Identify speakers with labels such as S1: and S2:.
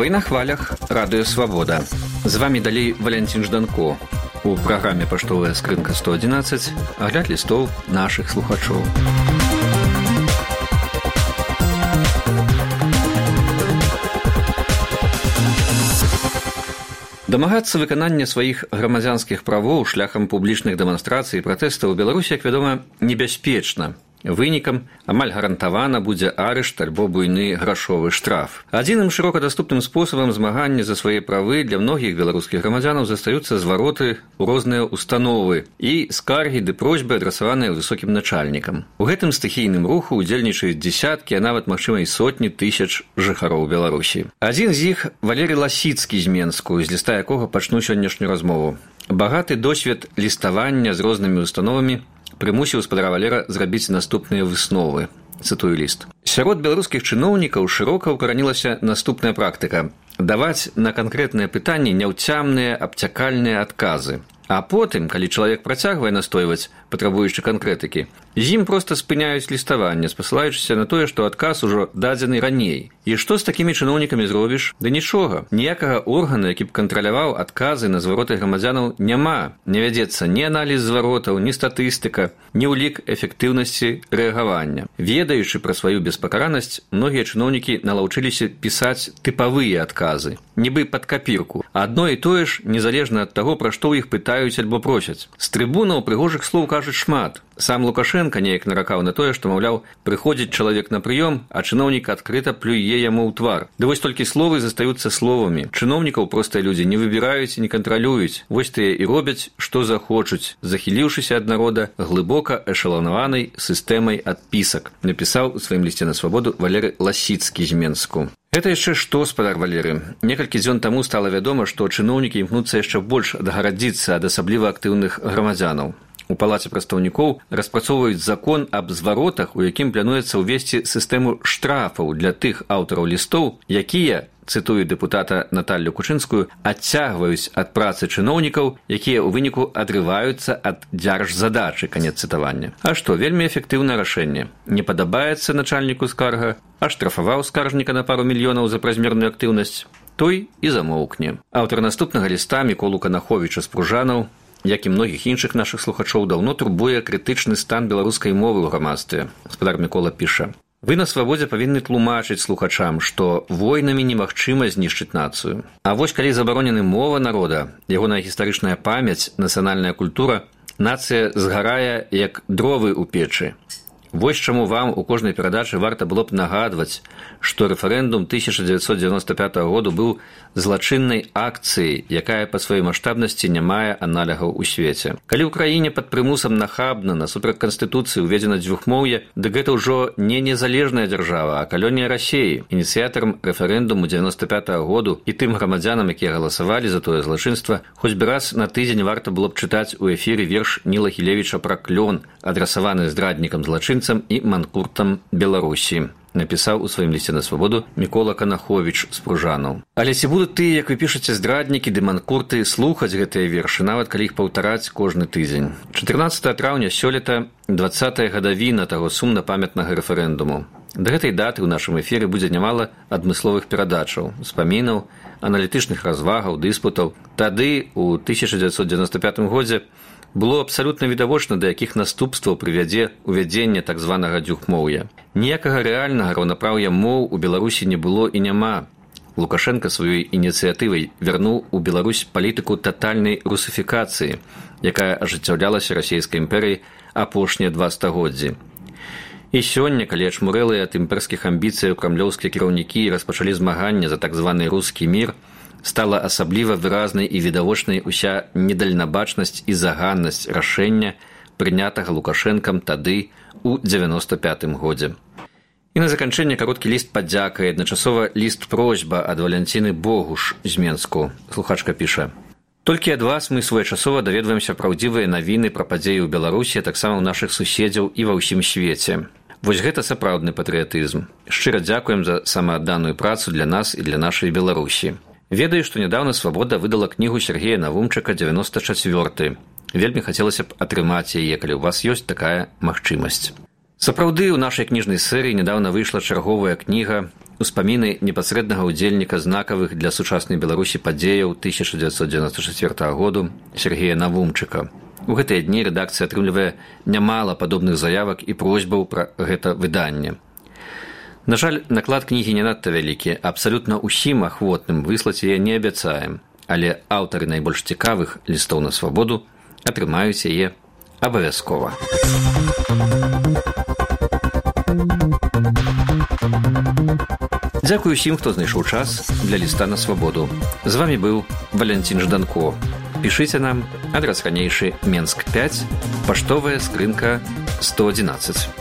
S1: Вы на хвалях Радыё Свабода. З вами далей Валянцін Жданко. У праграме «Паштовая скрынка 111» агляд лістоў нашых слухачоў. Дамагацца выканання сваіх грамадзянскіх правоў шляхам публічных дэманстрацый і пратэстаў у Беларусі, як вядома, небяспечна. Вынікам амаль гарантавана будзе арышт альбо буйны грашовы штраф. Адзіным шырока даступным спосабам змагання за свае правы для многіх беларускіх грамадзянаў застаюцца звароты ў розныя установы і скаргі ды просьбы, адрасаваныя высокім начальнікам. У гэтым стыхійным руху ўдзельнічаюць дзесяткі, а нават, магчыма, і сотні тысяч жыхароў Беларусі. Адзін з іх Валерый Ласіцкі з Менску, з ліста якога пачну сённяшнюю размову. Багаты досвед ліставання з рознымі установамі прымусіў спадара Валера зрабіць наступныя высновы. Цытую ліст. Сярод беларускіх чыноўнікаў шырока ўкаранілася наступная практыка – даваць на канкрэтныя пытанні няўцямныя, абцякальныя адказы. А потым, калі чалавек працягвае настойваць, патрабуючы канкрэтыкі, з ім проста спыняюць ліставанне, спасылаючыся на тое, што адказ ужо дадзены раней. І што з такімі чыноўнікамі зробіш? Да нічога. Ніякага органа, які б кантраляваў адказы на звароты грамадзянаў, няма. Не вядзецца ні аналіз зваротаў, ні статыстыка, ні ўлік эфектыўнасці рэагавання. Ведаючы пра сваю беспакаранасць, многія чыноўнікі налаўчыліся пісаць тыпавыя адказы, нібы пад капірку. Адно і тое ж, незалежна ад таго, пра што ў іх пытаюць альбо просяць. З трыбунаў прыгожых слоў кажуць шмат. Сам Лукашенко неяк наракаў на тое, што, маўляў, прыходзіць чалавек на прыём, а чыноўнік адкрыта плюе яму ў твар. Ды вось толькі словы застаюцца словамі. Чыноўнікаў простыя людзі не выбіраюць і не кантралююць. Вось тыя і робяць, што захочуць, захіліўшыся ад народа глыбока эшаланаванай сістэмай адпісак, напісаў у сваім лісце на свабоду Валерый Ласіцкі з Менску. Гэта яшчэ што, спадар Валеры? Некалькі дзён таму стала вядома, што чыноўнікі імкнуцца яшчэ больш адгарадзіцца ад асабліва актыўных грамадзянаў. У палаце прадстаўнікоў распрацоўваюць закон аб зваротах, у якім плануецца ўвесці сістэму штрафаў для тых аўтараў лістоў, якія, цытую дэпутата Наталлю Кучынскую, адцягваюць ад працы чыноўнікаў, якія ў выніку адрываюцца ад дзяржзадачы, канец цытавання. А што, вельмі эфектыўнае рашэнне. Не падабаецца начальніку скарга, аштрафаваў скаржніка на пару мільёнаў за празмерную актыўнасць, той і замоўкне. Аўтар наступнага ліста Міколу Канаховіча з Пружанаў, як і многіх іншых нашых слухачоў, даўно турбуе крытычны стан беларускай мовы ў грамадстве. Гаспадар Мікола піша: «Вы на свабодзе павінны тлумачыць слухачам, што войнамі немагчыма знішчыць нацыю. А вось калі забаронены мова народа, ягоная гістарычная памяць, нацыянальная культура, нацыя згарае, як дровы ў печы. Вось чаму вам у кожнай перадачы варта было б нагадваць, што рэферэндум 1995 году быў злачыннай акцыяй, якая па сваёй маштабнасці не мае аналягаў у свеце. Калі ў краіне пад прымусам нахабна насуперак канстытуцыі ўведзена дзвюхмоўе, дык гэта ўжо не незалежная дзяржава, а калонія Расіі. Ініцыятарам рэферэндуму 95 году і тым грамадзянам, якія галасавалі за тое злачынства, хоць бы раз на тыдзень варта было б чытаць у эфіры верш Ніла Гілевіча пра клён, адрасаваны здраднікам злачынцам і манкуртам Беларусі, напісаў у сваім лісце на свабоду Мікола Канаховіч з Пружанаў. Але ці будуць тыя, як вы пішаце, здраднікі ды манкурты слухаць гэтыя вершы, нават калі іх паўтараць кожны тыдзень? 14 траўня сёлета 20-я гадавіна таго сумна-памятнага рэферэндуму. Да гэтай даты ў нашым эфіры будзе нямала адмысловых перадачаў, спамінаў, аналітычных развагаў, дыспутаў. Тады, у 1995 годзе, было абсалютна відавочна, да якіх наступстваў прывядзе увядзенне так званага дзвюхмоўя. Ніякага рэальнага раўнапраўя моў у Беларусі не было і няма. Лукашенко сваёй ініцыятывай вярнуў у Беларусь палітыку татальнай русыфікацыі, якая ажыццяўлялася расійскай імперыяй апошнія 2 стагоддзі. І сёння, калі ачмурэлыя ад імперскіх амбіцыяў крамлёўскія кіраўнікі распачалі змаганне за так званы рускі мір, стала асабліва выразнай і відавочнай уся недальнабачнасць і заганнасць рашэння, прынятага Лукашэнкам тады у 95-м годзе. І на заканчэнне кароткі ліст падзяка і адначасова ліст-просьба ад Валянціны Богуш з Менску. Слухачка піша: «Толькі ад вас мы своечасова даведваемся праўдзівыя навіны пра падзеі ў Беларусі, а таксама ў нашых суседзяў і ва ўсім свеце. Вось гэта сапраўдны патрыятызм. Шчыра дзякуем за самаадданую працу для нас і для нашай Беларусі. Ведаю, што нядаўна «Свабода» выдала кнігу Сергея Навумчака «94». Вельмі хацелася б атрымаць яе, калі ў вас ёсць такая магчымасць. Сапраўды, у нашай кніжнай серыі нядаўна выйшла чарговая кніга ўспаміны непасрэднага ўдзельніка знакавых для сучаснай Беларусі падзеяў 1994 году Сергея Навумчыка. У гэтыя дні рэдакцыя атрымлівае нямала падобных заявак і просьбаў пра гэта выданне. На жаль, наклад кнігі не надта вялікі, абсалютна ўсім ахвотным выслаць яе не абяцаем, але аўтары найбольш цікавых лістоў на свабоду атрымаюць яе абавязкова. Дзякую усім, хто знайшоў час для ліста на свабоду. З вамі быў Валянцін Жданко. Пішыце нам, адрас ранейшы Менск 5, паштовая скрынка 111.